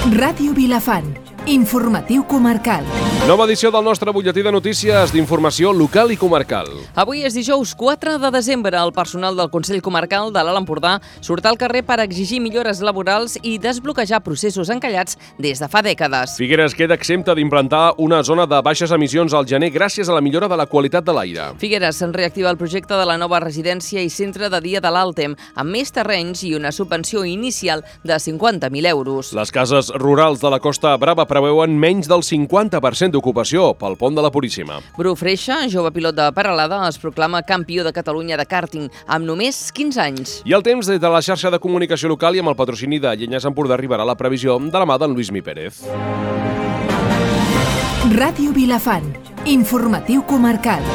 Ràdio Vilafant, informatiu comarcal. Nova edició del nostre butlletí de notícies d'informació local i comarcal. Avui és dijous 4 de desembre. El personal del Consell Comarcal de l'Alt Empordà surt al carrer per exigir millores laborals i desbloquejar processos encallats des de fa dècades. Figueres queda exempta d'implantar una zona de baixes emissions al gener gràcies a la millora de la qualitat de l'aire. Figueres reactiva el projecte de la nova residència i centre de dia de l'Altem, amb més terrenys i una subvenció inicial de 50.000 euros. Les cases rurals de la Costa Brava preveuen menys del 50% d'ocupació pel pont de la Puríssima. Bru Freixa, jove pilot de Peralada, es proclama campió de Catalunya de kàrting amb només 15 anys. I el temps des de la xarxa de comunicació local i amb el patrocini de Llenyes Empordà arribarà la previsió de la mà d'en Lluís Mi Pérez. Ràdio Vilafant, informatiu comarcal.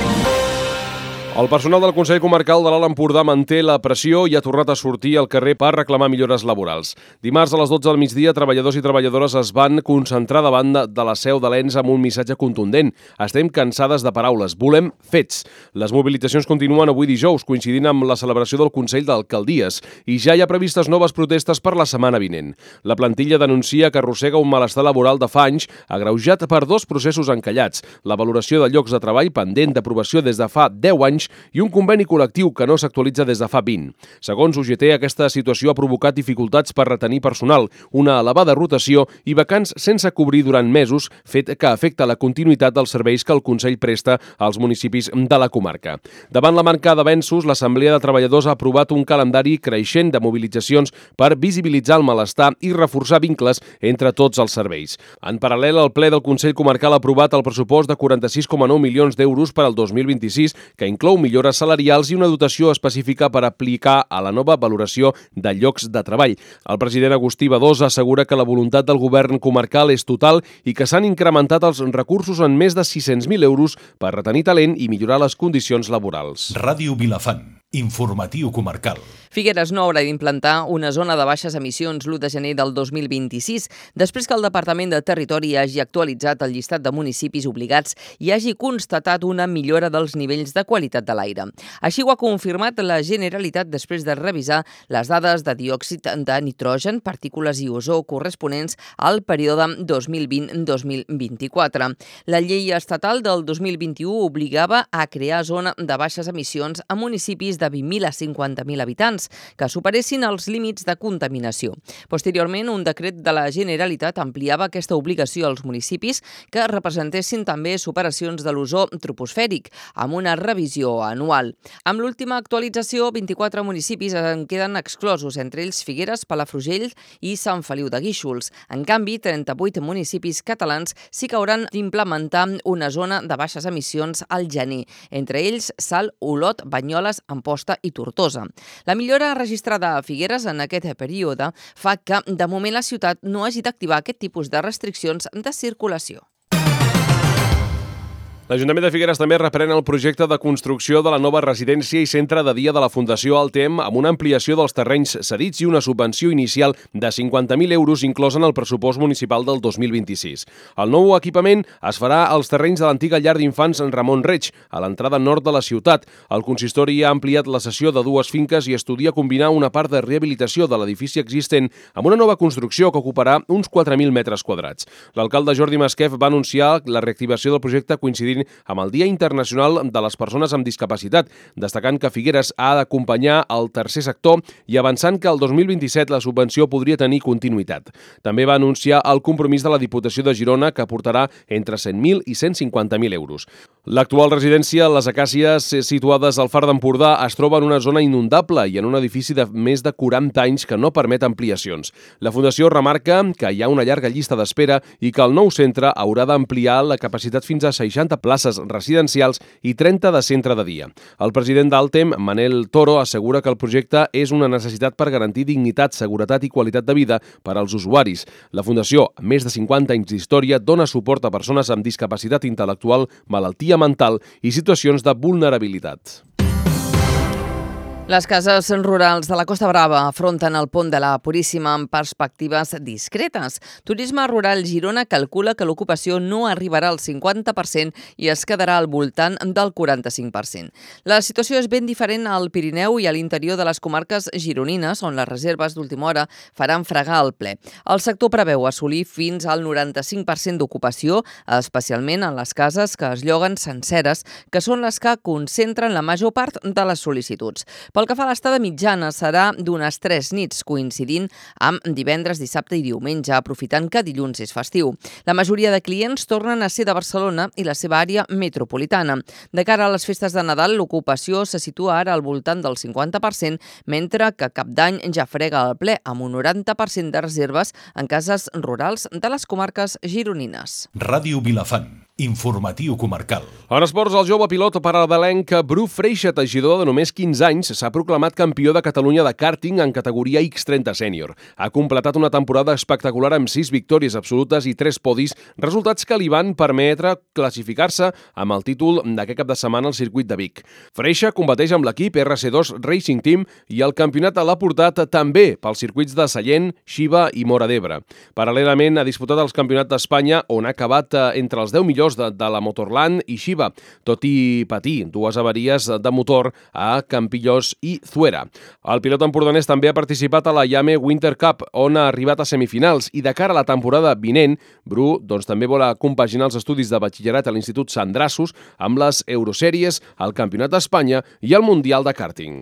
El personal del Consell Comarcal de l'Alt Empordà manté la pressió i ha tornat a sortir al carrer per reclamar millores laborals. Dimarts a les 12 del migdia, treballadors i treballadores es van concentrar davant de la seu de l'ENS amb un missatge contundent. Estem cansades de paraules, volem fets. Les mobilitzacions continuen avui dijous, coincidint amb la celebració del Consell d'Alcaldies, i ja hi ha previstes noves protestes per la setmana vinent. La plantilla denuncia que arrossega un malestar laboral de fa anys, agreujat per dos processos encallats, la valoració de llocs de treball pendent d'aprovació des de fa 10 anys i un conveni col·lectiu que no s'actualitza des de fa 20. Segons UGT, aquesta situació ha provocat dificultats per retenir personal, una elevada rotació i vacants sense cobrir durant mesos, fet que afecta la continuïtat dels serveis que el Consell presta als municipis de la comarca. Davant la manca d'avenços, l'Assemblea de Treballadors ha aprovat un calendari creixent de mobilitzacions per visibilitzar el malestar i reforçar vincles entre tots els serveis. En paral·lel, el ple del Consell Comarcal ha aprovat el pressupost de 46,9 milions d'euros per al 2026, que inclou millores salarials i una dotació específica per aplicar a la nova valoració de llocs de treball. El president Agustí Badosa assegura que la voluntat del govern comarcal és total i que s'han incrementat els recursos en més de 600.000 euros per retenir talent i millorar les condicions laborals. Ràdio Vilafant, informatiu comarcal. Figueres no haurà d'implantar una zona de baixes emissions l'1 de gener del 2026, després que el Departament de Territori hagi actualitzat el llistat de municipis obligats i hagi constatat una millora dels nivells de qualitat de l'aire. Així ho ha confirmat la Generalitat després de revisar les dades de diòxid de nitrogen, partícules i ozó corresponents al període 2020-2024. La llei estatal del 2021 obligava a crear zona de baixes emissions a municipis de 20.000 a 50.000 habitants que superessin els límits de contaminació. Posteriorment, un decret de la Generalitat ampliava aquesta obligació als municipis que representessin també superacions de l'ozó troposfèric, amb una revisió anual. Amb l'última actualització, 24 municipis en queden exclosos, entre ells Figueres, Palafrugell i Sant Feliu de Guíxols. En canvi, 38 municipis catalans sí que hauran d'implementar una zona de baixes emissions al gener, entre ells Salt, Olot, Banyoles, Amposta i Tortosa. La millora registrada a Figueres en aquest període fa que, de moment, la ciutat no hagi d'activar aquest tipus de restriccions de circulació. L'Ajuntament de Figueres també reprèn el projecte de construcció de la nova residència i centre de dia de la Fundació Altem amb una ampliació dels terrenys cedits i una subvenció inicial de 50.000 euros inclosa en el pressupost municipal del 2026. El nou equipament es farà als terrenys de l'antiga llar d'infants Ramon Reig, a l'entrada nord de la ciutat. El consistori ha ampliat la cessió de dues finques i estudia combinar una part de rehabilitació de l'edifici existent amb una nova construcció que ocuparà uns 4.000 metres quadrats. L'alcalde Jordi Masquef va anunciar la reactivació del projecte coincidint amb el Dia Internacional de les Persones amb Discapacitat, destacant que Figueres ha d'acompanyar el tercer sector i avançant que el 2027 la subvenció podria tenir continuïtat. També va anunciar el compromís de la Diputació de Girona que aportarà entre 100.000 i 150.000 euros. L'actual residència, les Acàcies, situades al Far d'Empordà, es troba en una zona inundable i en un edifici de més de 40 anys que no permet ampliacions. La Fundació remarca que hi ha una llarga llista d'espera i que el nou centre haurà d'ampliar la capacitat fins a 60 places residencials i 30 de centre de dia. El president d'Altem, Manel Toro, assegura que el projecte és una necessitat per garantir dignitat, seguretat i qualitat de vida per als usuaris. La Fundació, amb més de 50 anys d'història, dona suport a persones amb discapacitat intel·lectual, malaltia mental i situacions de vulnerabilitat. Les cases rurals de la Costa Brava afronten el pont de la Puríssima amb perspectives discretes. Turisme Rural Girona calcula que l'ocupació no arribarà al 50% i es quedarà al voltant del 45%. La situació és ben diferent al Pirineu i a l'interior de les comarques gironines, on les reserves d'última hora faran fregar el ple. El sector preveu assolir fins al 95% d'ocupació, especialment en les cases que es lloguen senceres, que són les que concentren la major part de les sol·licituds. Pel que fa a l'estada mitjana, serà d'unes 3 nits, coincidint amb divendres, dissabte i diumenge, aprofitant que dilluns és festiu. La majoria de clients tornen a ser de Barcelona i la seva àrea metropolitana. De cara a les festes de Nadal, l'ocupació se situa ara al voltant del 50%, mentre que Cap d'Any ja frega el ple amb un 90% de reserves en cases rurals de les comarques gironines. Ràdio Vilafant. Informatiu comarcal. En esports, el jove pilot parabelenc Bru Freixa, teixidor de només 15 anys, s'ha proclamat campió de Catalunya de kàrting en categoria X30 sènior. Ha completat una temporada espectacular amb 6 victòries absolutes i 3 podis, resultats que li van permetre classificar-se amb el títol d'aquest cap de setmana al circuit de Vic. Freixa competeix amb l'equip RC2 Racing Team i el campionat l'ha portat també pels circuits de Sallent, Xiva i Móra d'Ebre. Paral·lelament ha disputat els campionats d'Espanya, on ha acabat entre els 10 millors de la Motorland i Xiva, tot i patir 2 avaries de motor a Campillós i Zuera. El pilot empordanès també ha participat a la Yame Winter Cup, on ha arribat a semifinals, i de cara a la temporada vinent, Bru també vol compaginar els estudis de batxillerat a l'Institut Sandrassos amb les Eurosèries, el Campionat d'Espanya i el Mundial de Kàrting.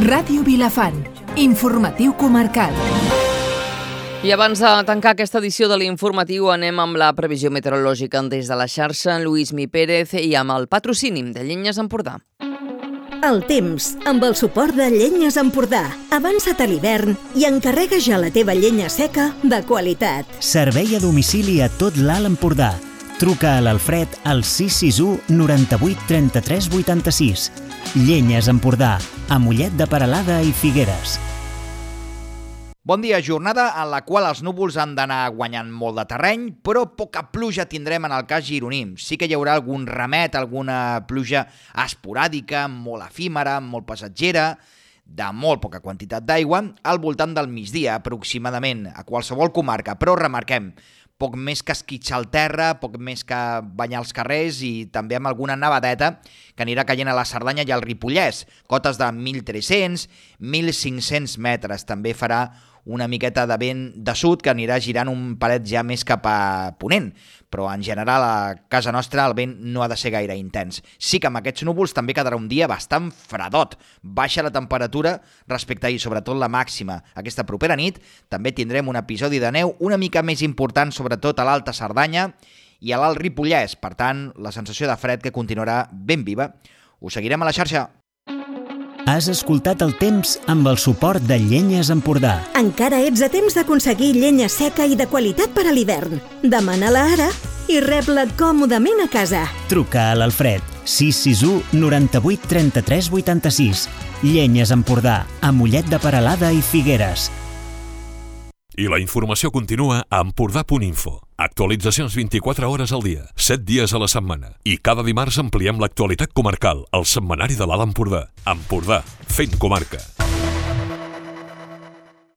Ràdio Vilafant. Informatiu comarcal. I abans de tancar aquesta edició de l'Informatiu anem amb la previsió meteorològica des de la xarxa, Lluís Mi Pérez, i amb el patrocini de Llenyes Empordà. El temps, amb el suport de Llenyes Empordà. Avança't a l'hivern i encarrega ja la teva llenya seca de qualitat. Servei a domicili a tot l'Alt Empordà. Truca a l'Alfred al 661 98 33 86. Llenyes Empordà, a Mollet de Peralada i Figueres. Bon dia, jornada en la qual els núvols han d'anar guanyant molt de terreny, però poca pluja tindrem en el cas gironí. Sí que hi haurà algun remet, alguna pluja esporàdica, molt efímera, molt passatgera, de molt poca quantitat d'aigua, al voltant del migdia aproximadament, a qualsevol comarca, però remarquem, poc més que esquitxar el terra, poc més que banyar els carrers i també amb alguna nevadeta que anirà caient a la Cerdanya i al Ripollès. Cotes de 1.300, 1.500 metres. També farà una miqueta de vent de sud que anirà girant un palet ja més cap a ponent, però en general a casa nostra el vent no ha de ser gaire intens. Sí que amb aquests núvols també quedarà un dia bastant fredot. Baixa la temperatura respecte a ahir, sobretot la màxima. Aquesta propera nit també tindrem un episodi de neu una mica més important, sobretot a l'Alta Cerdanya i a l'Alt Ripollès. Per tant, la sensació de fred que continuarà ben viva. Us seguirem a la xarxa. Has escoltat el temps amb el suport de Llenyes Empordà. Encara ets a temps d'aconseguir llenya seca i de qualitat per a l'hivern. Demana-la ara i rep-la còmodament a casa. Truca a l'Alfred 661 98 33 86. Llenyes Empordà, a Mollet de Peralada i Figueres. I la informació continua a Empordà.info. Actualitzacions 24 hores al dia, 7 dies a la setmana. I cada dimarts ampliem l'actualitat comarcal, al setmanari de l'Alt Empordà. Empordà, fent comarca.